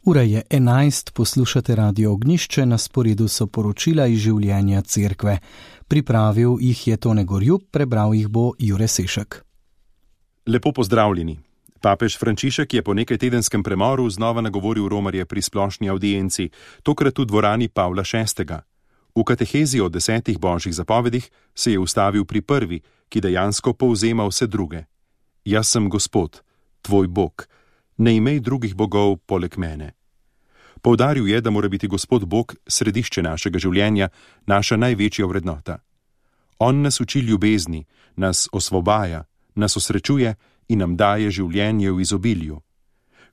Ura je 11, poslušate Radio Ognjišče, na sporedu so poročila iz življenja cerkve. Pripravil jih je Tone Gorjup, prebral jih bo Jure Sešek. Lepo pozdravljeni. Papež Frančišek je po nekaj tedenskem premoru znova nagovoril romarje pri splošni audienci, tokrat v dvorani Pavla VI. V katehezi o 10 božjih zapovedih se je ustavil pri prvi, ki dejansko povzema vse druge. Jaz sem Gospod, tvoj Bog, ne imej drugih bogov poleg mene. Poudaril je, da mora biti Gospod Bog središče našega življenja, naša največja vrednota. On nas uči ljubezni, nas osvobaja, nas osrečuje in nam daje življenje v izobilju.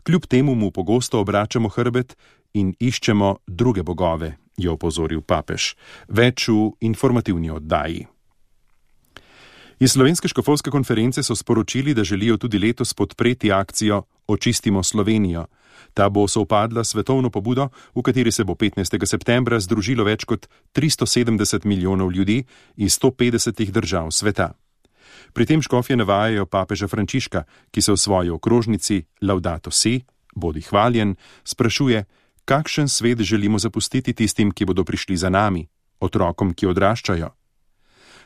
Kljub temu mu pogosto obračamo hrbet in iščemo druge bogove, je opozoril papež. Več v informativni oddaji. Iz Slovenske škofovske konference so sporočili, da želijo tudi letos podpreti akcijo Očistimo Slovenijo. Ta bo sovpadla s svetovno pobudo, v kateri se bo 15. septembra združilo več kot 370 milijonov ljudi iz 150 držav sveta. Pri tem škofje navajajo papeža Frančiška, ki se v svoji okrožnici Laudato Si, bodi hvaljen, sprašuje, kakšen svet želimo zapustiti tistim, ki bodo prišli za nami, otrokom, ki odraščajo.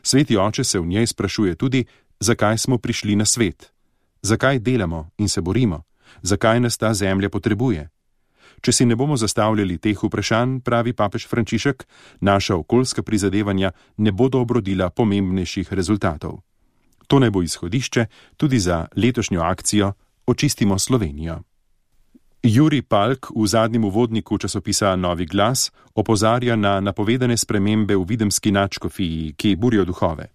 Sveti oče se v njej sprašuje tudi, zakaj smo prišli na svet, zakaj delamo in se borimo, zakaj nas ta zemlja potrebuje. Če si ne bomo zastavljali teh vprašanj, pravi papež Frančišek, naša okoljska prizadevanja ne bodo obrodila pomembnejših rezultatov. To naj bo izhodišče tudi za letošnjo akcijo Očistimo Slovenijo. Jurij Palk v zadnjem uvodniku časopisa Novi glas opozarja na napovedane spremembe v videmski nadškofiji, ki burijo duhove.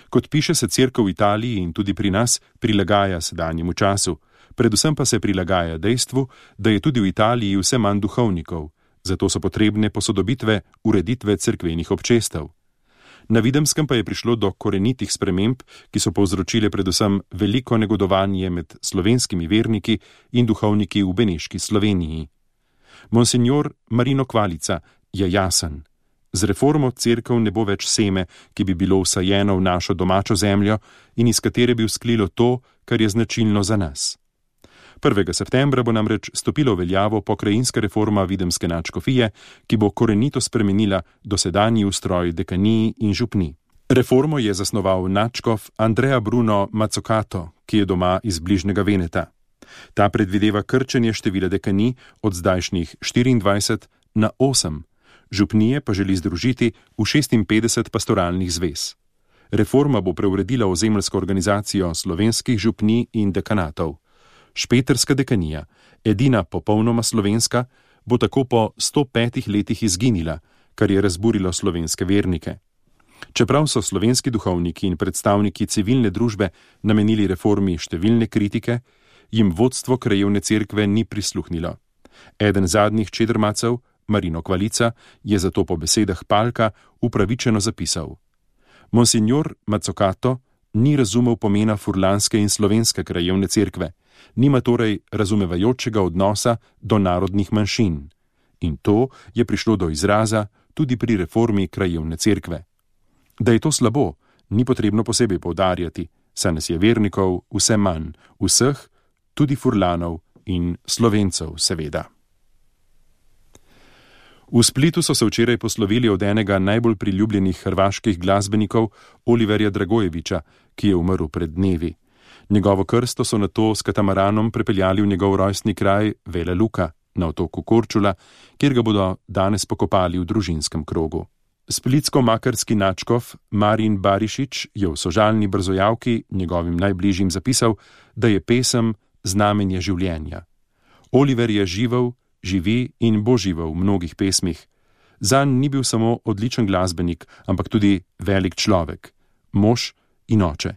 Kot piše, se cerkev v Italiji in tudi pri nas prilagaja sedanjemu času, predvsem pa se prilagaja dejstvu, da je tudi v Italiji vse manj duhovnikov, zato so potrebne posodobitve ureditve cerkvenih občestev. Na Videmskem pa je prišlo do korenitih sprememb, ki so povzročile predvsem veliko negodovanje med slovenskimi verniki in duhovniki v Beneški Sloveniji. Monsignor Marino Kvalica je jasen. Z reformo cerkev ne bo več seme, ki bi bilo vsajeno v našo domačo zemljo in iz katere bi vzklilo to, kar je značilno za nas. 1. septembra bo namreč stopila v veljavo pokrajinska reforma videmske nadškofije, ki bo korenito spremenila dosedanji ustroj dekaniji in župni. Reformo je zasnoval nadškof Andrea Bruno Mazzocato, ki je doma iz bližnjega Veneta. Ta predvideva krčenje števila dekanij od zdajšnjih 24 na 8, župnije pa želi združiti v 56 pastoralnih zvez. Reforma bo preuredila ozemeljsko organizacijo slovenskih župnij in dekanatov. Špeterska dekanija, edina popolnoma slovenska, bo tako po 105 letih izginila, kar je razburilo slovenske vernike. Čeprav so slovenski duhovniki in predstavniki civilne družbe namenili reformi številne kritike, jim vodstvo krajevne cerkve ni prisluhnilo. Eden zadnjih čedrmacev, Marino Kvalica, je zato po besedah Palka upravičeno zapisal: Monsignor Mazzocato ni razumel pomena furlanske in slovenske krajevne cerkve, nima torej razumevajočega odnosa do narodnih manjšin. In to je prišlo do izraza tudi pri reformi krajevne cerkve. Da je to slabo, ni potrebno posebej poudarjati, saj nas je vernikov vse manj, vseh, tudi furlanov in Slovencev seveda. V Splitu so se včeraj poslovili od enega najbolj priljubljenih hrvaških glasbenikov, Oliverja Dragojevića, ki je umrl pred dnevi. Njegovo krsto so nato s katamaranom prepeljali v njegov rojstni kraj Vela Luka na otoku Korčula, kjer ga bodo danes pokopali v družinskem krogu. Splitsko-makarski nadškof Marin Barišić je v sožalni brzojavki njegovim najbližjim zapisal, da je pesem znamenje življenja. Oliver je živel, živi in bo živel v mnogih pesmih. Zanj ni bil samo odličen glasbenik, ampak tudi velik človek, mož in oče.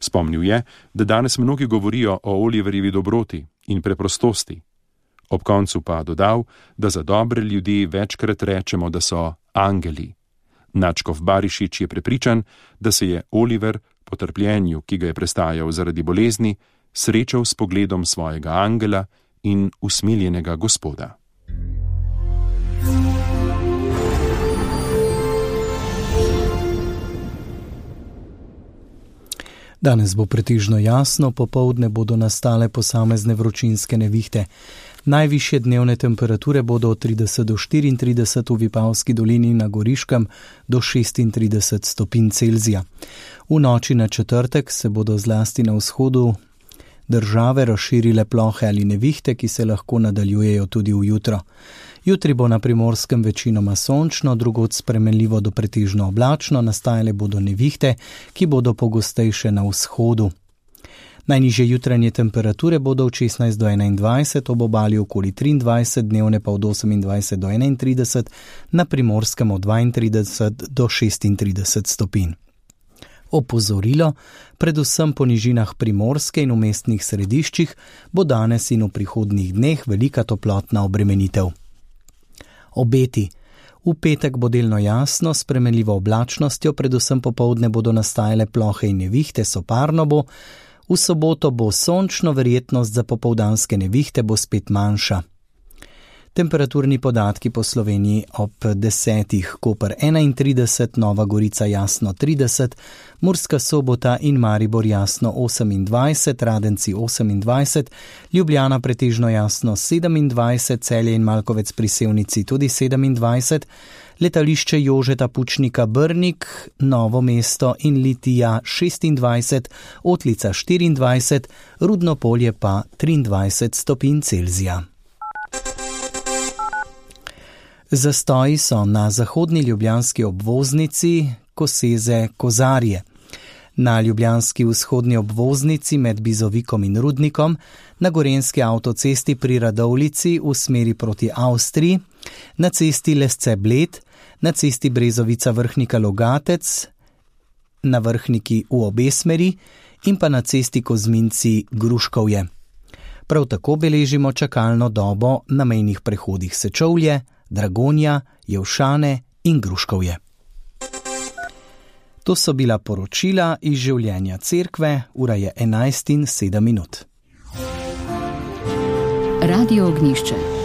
Spomnil je, da danes mnogi govorijo o Oliverjevi dobroti in preprostosti. Ob koncu pa dodal, da za dobre ljudi večkrat rečemo, da so angeli. Nadškof Barišić je prepričan, da se je Oliver po trpljenju, ki ga je prestajal zaradi bolezni, srečal s pogledom svojega angela in usmiljenega Gospoda. Danes bo pretežno jasno, popoldne bodo nastale posamezne vročinske nevihte. Najvišje dnevne temperature bodo od 30 do 34 v Vipavski dolini, na Goriškem do 36 stopinj Celzija. V noči na četrtek se bodo zlasti na vzhodu države razširile plohe ali nevihte, ki se lahko nadaljujejo tudi v jutro. Jutri bo na Primorskem večinoma sončno, drugod spremenljivo do pretežno oblačno, nastajale bodo nevihte, ki bodo pogostejše na vzhodu. Najnižje jutranje temperature bodo od 16 do 21, ob obali okoli 23, dnevne pa od 28 do 31, na Primorskem od 32 do 36 stopinj. Opozorilo, predvsem po nižinah Primorske in v mestnih središčih, bo danes in v prihodnjih dneh velika toplotna obremenitev. Obeti. V petek bo delno jasno, s spremenljivo oblačnostjo, predvsem popoldne bodo nastajale plohe in nevihte, soparno bo. V soboto bo sončno, verjetnost za popoldanske nevihte bo spet manjša. Temperaturni podatki po Sloveniji ob 10. Koper 31, Nova Gorica jasno 30, Murska Sobota in Maribor jasno 28, Radenci 28, Ljubljana pretežno jasno 27, Celje in Malkovec pri Sevnici tudi 27, letališče Jožeta Pučnika Brnik, Novo mesto in Litija 26, Otlica 24, Rudno Polje pa 23 stopinj Celzija. Zastoji so na zahodni ljubljanski obvoznici Koseze-Kozarje, na ljubljanski vzhodni obvoznici med Bizovikom in Rudnikom, na gorenjski avtocesti pri Radovljici v smeri proti Avstriji, na cesti Lesce-Bled, na cesti Brezovica-Vrhnika-Logatec, na Vrhniki v obe smeri in pa na cesti Kozminci-Gruškovje. Prav tako beležimo čakalno dobo na mejnih prehodih Sečovlje, Dragonja, Jevšane in Gruškovje. To so bila poročila iz življenja cerkve, ura je 11:07. Radio Ognjišče.